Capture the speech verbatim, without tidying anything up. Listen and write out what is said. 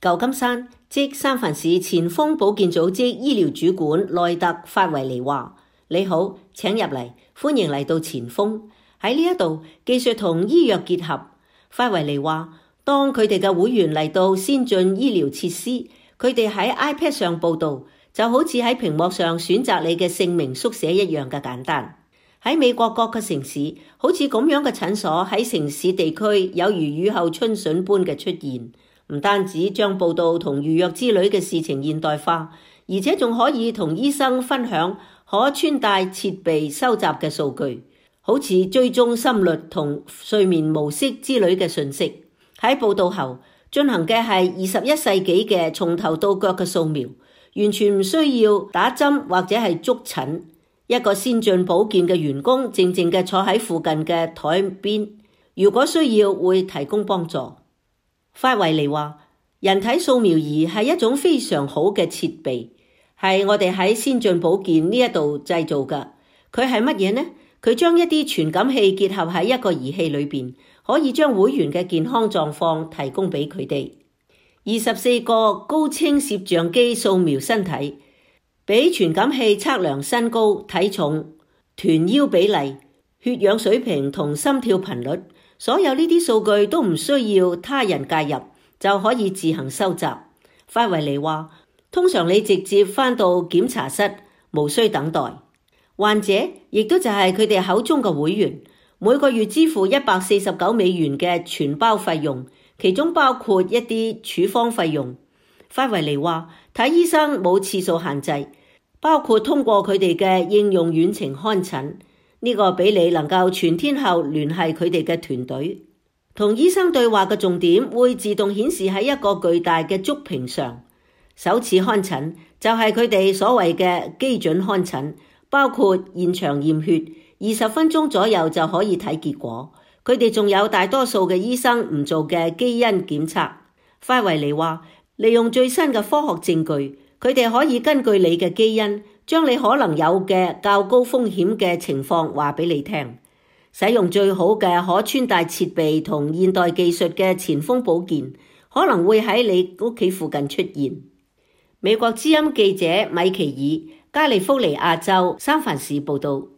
舊金山即三藩市前鋒保健組織醫療主管內特法維尼話：你好，請入嚟，歡迎嚟到前鋒。喺呢一度，技術同醫藥結合。法維尼話：當佢哋嘅會員嚟到先進醫療設施，佢哋喺 iPad 上報到，就好似喺屏幕上選擇你嘅姓名縮寫一樣嘅簡單。喺美國各個城市，好似咁樣嘅診所喺城市地區有如雨後春筍般嘅出現。唔單止將報到同預約之類嘅事情現代化，而且仲可以同醫生分享可穿戴設備收集嘅數據，好似追蹤心率同睡眠模式之類嘅信息。喺報到後進行嘅係二十一世紀嘅從頭到腳嘅掃描，完全唔需要打針或者係捉診。一個先進保健嘅員工靜靜嘅坐喺附近嘅台邊，如果需要會提供幫助。法維尼話：人體掃描儀係一種非常好嘅設備，係我哋喺先進保健呢一度製造嘅。佢係乜嘢呢？佢將一啲傳感器結合喺一個儀器裏邊，可以將會員嘅健康狀況提供俾佢哋。二十四個高清攝像機掃描身體，俾傳感器測量身高、體重、臀腰比例、血氧水平同心跳頻率。所有呢啲數據都唔需要他人介入，就可以自行收集。法維尼話：通常你直接返到檢查室，無需等待。患者亦都就係佢哋口中嘅會員，每個月支付一百四十九美元嘅全包費用，其中包括一啲處方費用。法維尼話：睇醫生冇次數限制，包括通過佢哋嘅應用遠程看診。呢個俾你能夠全天候聯繫佢哋嘅團隊，同醫生對話嘅重點會自動顯示喺一個巨大嘅觸屏上。首次看診就係佢哋所謂嘅基準看診，包括現場驗血，二十分鐘左右就可以睇結果。佢哋仲有大多數嘅醫生唔做嘅基因檢測。法維尼話：利用最新嘅科學證據，佢哋可以根據你嘅基因，將你可能有嘅較高風險嘅情況話俾你聽。使用最好嘅可穿戴設備同現代技術嘅前鋒保健，可能會喺你屋企附近出現。美國之音記者米奇爾，加利福尼亞州三藩市報道。